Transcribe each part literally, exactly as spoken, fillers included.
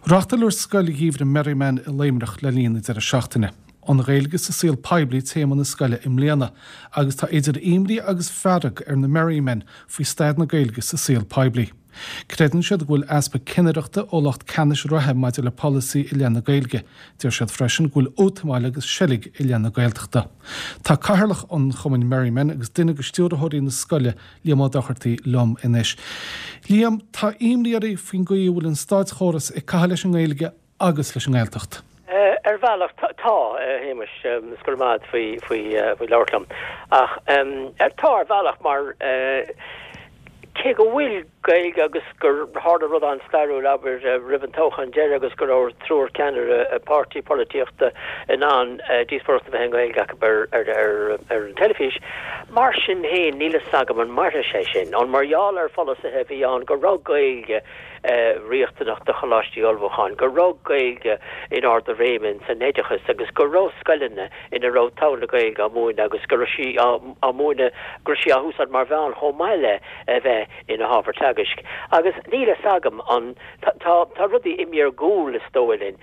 Reáchtáladh Scoil Gheimhridh Merriman i Luimneach le linn na deireadh seachtaine. An Ghaeilge sa saol poiblí téama na scoile i mbliana, agus tá idir imní agus fearg ar na Merrymen faoi staid na Gaeilge sa saol poiblí. Creideann siad go bhfuil easpa cinnireachta ó lucht ceannais reatha maidir le polasaí i leith na Gaeilge. Deir siad freisin go bhfuil útamáil agus seilg i leith na Gaeltachta. Tá cathaoirleach an Chumainn Merriman agus duine de stiúrthóirí na scoile Liam Ó Dochartaigh liom anois. Liam tá imní oraibh faoin gcaoi a bhfuil an státchóras ag caitheamh leis an nGaeilge agus leis an nGaeltacht. Ar bhealach tá Shéamais go maith faoi faoi faoi labhairt liom ach tá ar bhealach mar cé go bhfuil Gaeilge agus gur tharla rud an-stairiúil abair roimh an toghchán deiridh agus go raibh triúr ceannaire páirtí polaitíochta in ann díospóireacht a bheith i nGaeilge acu ar ar ar ar an teilifís. Mar sin féin níl a fhios agam an mairfidh sé sin an mar gheall ar pholasaithe a bhí ann go raibh Gaeilge riachtanach do choláistí ullmhúcháin, go raibh Gaeilge in ard a réime san oideachas agus go raibh scoileanna ina raibh togha na Gaeilge á múineadh agus go raibh sí á múineadh go raibh sí á húsáid mar mheán chomh maith le a bheith ina hábhar teagaisc. Agus níl a fhios agam an tá tá rudaí imithe ar gcúl is dóigh linn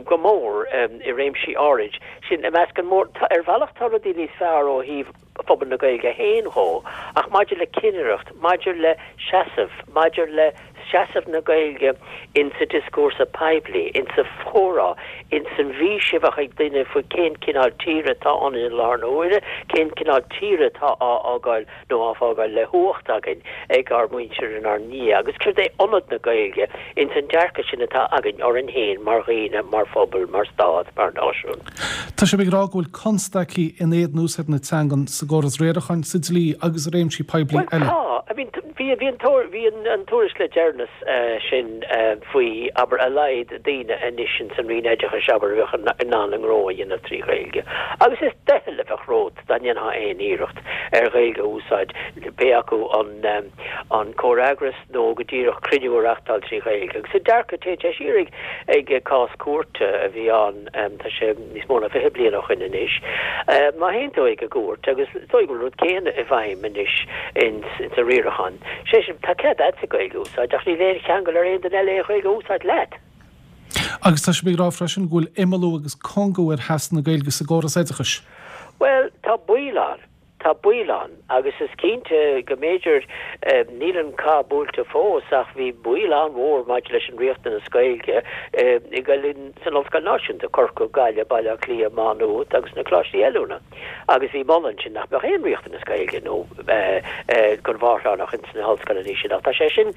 go mór i réimsí áirid sin i measc an mór ar bhealach tá rudaí níos fearr ó thaobh phobal na Gaeilge féin dhó, ach maidir le cinnireacht, maidir le seasamh, maidir le seasamh na Gaeilge insa dioscúrsa poiblí, insa chomhrá, insan bhfís a bheadh ag duine faoi cén cineál tíre atá ann i láthair na huaire, cén cineál tíre atá á fhágáil nó á fágáil le huacht againn ag ár muintir inár ndiaidh, agus céard é ionad na Gaeilge insan dearcadh sin atá againn orainn féin mar dhaoine, mar phobal, mar stát, mar náisiún. Tá sibh ag rá go bhfuil constaicí in éadan úsáid na teangan sa gcóras riaracháin, sa dlí agus i réimsí poiblí eile. Tá, I mean bhí bhí an bhí an tuairisc le deireanas sin faoi abair a laghad daoine anois in san Roinn Oideachais abair a bheadh in ann a ngnó a dhéanamh trí Ghaeilge. Agus is doicheall a bheadh romhat dá ndéanfá aon iarracht ar Ghaeilge a úsáid, pé acu an an comhfhreagras nó go díreach cruinniú a reáchtáil trí Ghaeilge. Agus sa dearcadh téann sé siar ag ag cás cúirte a bhí ann tá sé níos mó ná fiche bliain ó shin anois. Má théann tú ag an gcúirt agus is dóigh go bhfuil an rud céanna i bhfeidhm anois ins sa riarachán. Sé sin tá cead agat Gaeilge a úsáid ach níl aon cheangal ar aon duine eile aon Ghaeilge a úsáid leat. Agus tá sibh ag rá freisin go bhfuil imeallú agus cúngú ar sheasamh na Gaeilge sa gcóras oideachais. Well, tá baol ann. Tá baol ann agus is cinnte go mb'fhéidir níl an cath buailte fós ach bhí baol an-mhór maidir leis an riachtanas Gaeilge i gcoill san Ollscoil Náisiúnta, Corcaigh, Gaillimh, Baile Átha Cliath, Má Nuad agus na coláistí oiliúna agus bhí moladh ansin nach mbeadh aon riachtanas Gaeilge nó don mháithreánach ins na hollscoileanna sin ach tá sé sin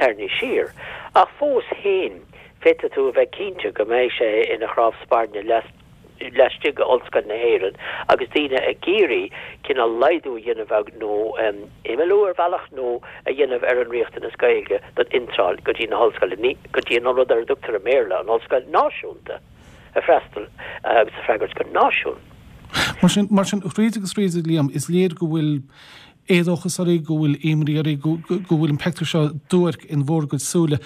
tarraingthe siar. Ach fós féin féadfaidh tú a bheith cinnte go mbeidh sé ina chnámh spairne laistigh d'Ollscoil na hÉireann agus daoine ag iarraidh cineál laghdú a dhéanamh nó imeallú ar bhealach nó a dhéanamh ar an riachtanas Gaeilge don iontráil go dtí na hollscoile, go dtí an rud ar a dtugtar i mBéarla an ollscoil náisiúnta a freastal agus a freagairt go náisiún. Mar sin, mar sin, thríd agus thríd, Liam, is léir go bhfuil éadóchas oraibh, go bhfuil imní oraibh, go, go, go bhfuil an pictiúr seo duairc in bhur gcuid súile.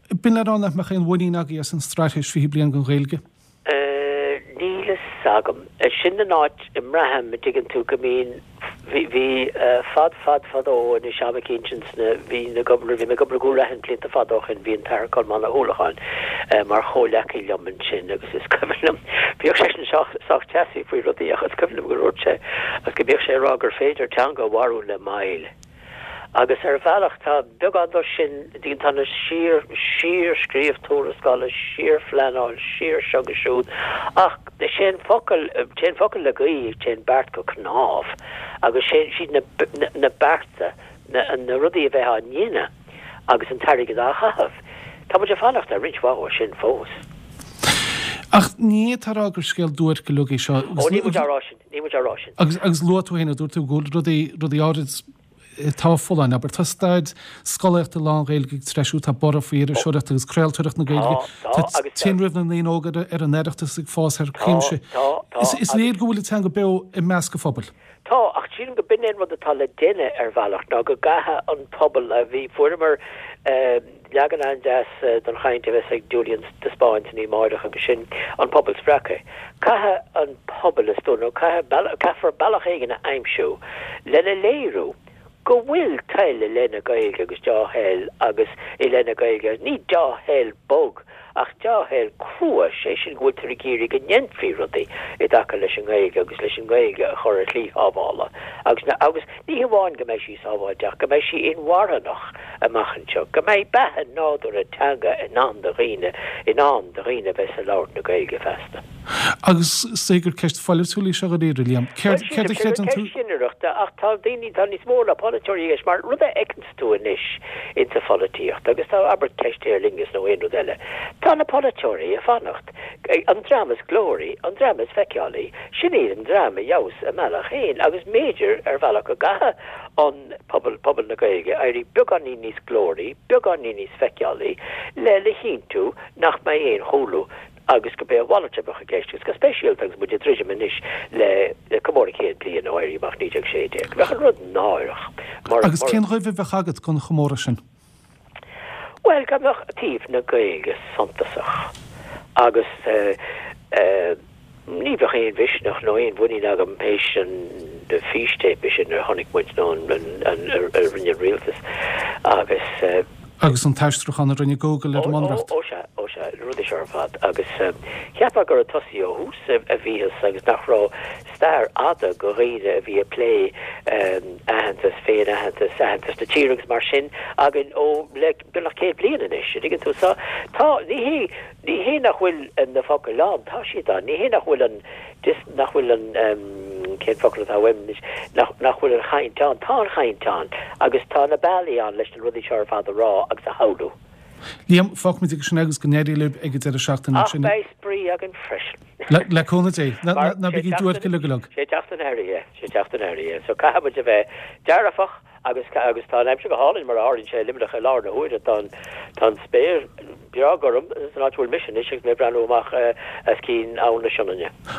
B'in le rá nach mbeadh aon mhuinín agaibh as an straitéis fiche bliain don Ghaeilge? Níl a fhios agam. Sin an áit a mbraithim, a dtuigeann tú, go mbíonn, bhí, bhí fad, fad, fadó anois am eicínt ins na, bhí na ag obair, bhí mé ag obair i gCúil Raithin blianta fada ó shin, bhí an tAthair Colmán Ó hUallacháin mar chomhleacaí liom ansin agus is cuimhin liom, bhíodh seisean sách, sách teasaí faoi rudaí ach is cuimhin liom go ndúirt sé, agus go mbíodh sé ag rá gur féidir teanga a mharú le moill. Agus ar bhealach tá beagán de sin, tá na síor, síor-scríobh tuarascála, síor-phleanáil, síor seo agus siúd, ach is é an focal, téann focal le gaoth, téann beart go cnámh, agus sé, siad na, na bearta, na, na rudaí a bheith á ndéanamh agus an t-airgead á chaitheamh. Tá muid ag fanacht ar roinnt mhaith dhó sin fós. Ach ní fhéadfá a rá gur scéal duairc uilig é seo. Ó, níl muid á rá sin, níl muid á rá sin. Agus, agus luaigh tú féin, a dúirt tú go bhfuil rudaí, rudaí áirid, atá folláin, abair. Tá staid scolaíochta lán-Ghaeilge ag treisiú, tá borradh faoi iriseoireacht agus craoltóireacht na Gaeilge, tá tinreamh na ndaoine óga ar an Oireachtas ag fás thar cuimse. Is léir go bhfuil an teanga beo i measc an phobail. Tá, ach sílim go b'in é an rud atá le déanamh ar bhealach, ná go gcaithfidh an pobal a bhí, fuaireamar leagan an-deas den chaint a bheas ag Julian de Spáinn san oíche amárach agus sin an pobal spreagtha. Caithfidh an pobal, is dóigh, nó caithfidh, caithfear bealach éigin a aimsiú lena léiriú go bhfuil toil i leith na Gaeilge agus dea-thoil agus i leith na Gaeilge, ní dea-thoil bog ach dea-thoil crua, sé sin go bhfuiltear ag iarraidh go ndéanfaí rudaí i dtaca leis an nGaeilge agus leis an nGaeilge a chur ar shlí shábhála agus na agus ní hamháin go mbeidh sí sábháilte ach go mbeidh sí inmharthanach amach anseo, go mbeidh beatha nádúrtha teanga i ndán do dhaoine, i ndán do dhaoine a bheas ag labhairt na Gaeilge feasta. Agus is dóigh gur ceist pholaitiúil í seo dáiríre, Liam. Céard céard a chreideann tú? Ceist chinnireachta ach tá daoine, tá níos mó ná polaiteoirí i gceist mar rud a fheiceanns tú anois insa pholaitíocht agus tá, abair, ceist Aer Lingus nó aon rud eile, tá na polaiteoirí ag fanacht, an dream is glóraí, an dream is feiceálaí, sin iad an dream a gheobhas a mbealach féin agus mb'fhéidir ar bhealach go gcaithfidh an pobal, pobal na Gaeilge éirí beagáinín níos glóraí, beagáinín níos feiceálaí le le chinntiú nach mbeidh aon chúlú agus go b'é a mhalairt a bheadh i gceist, agus go speisialta agus muid ag druidim anois le comóradh céad bliain ó Éirí Amach naoi déag sé déag. Bheadh an rud náireach mar. Agus cén ghoimh a bheadh agat don chomóradh sin? Bhuel, go mbeadh taobh na Gaeilge suntasach agus ní bheadh aon mhisneach nó aon mhuinín agam théis an fístéipe sin a chonaic muid nó a rinne an rialtas agus. Agus an t-aistriúchán a rinne Google ar an mBunreacht. Ó sea, ó sea, na rudaí seo ar fad. Agus cheapfá gur ag tosaí ó thús a bhíothas agus nach raibh stair fhada de dhaoine a bhí ag plé aitheantas, féin-aitheantas, aitheantas na tíre agus mar sin againn ó le beagnach céad bliain anois, an dtuigeann tú. So tá, ní hé, ní hé nach bhfuil na focail ann, tá siad ann, ní hé nach bhfuil an, nach bhfuil an, cén focal atá uaim anois, nach, nach bhfuil an chaint ann, tá an chaint ann agus tá na bealaí ann leis na rudaí seo ar fad a rá agus a shamhlú. Liam, fágfaimid aige sin é agus go n-éirí libh ag an deireadh seachtaine Ach sin. beidh spraoi againn freisin. Le, le cúnamh Dé. Ná, ná, ná bígí duairc uilig go Sé teacht an earraigh é, sé teacht an earraigh é. So caithfidh muid a bheith dearfach agus, agus tá an aimsir go hálainn mar a tharlaíonn sé i Luimneach i láthair na huaire. Tá an, tá an spéir breá gorm san áit a bhfuil mise anois agus mé ag breathnú amach as cinn Abhainn na Sionainne.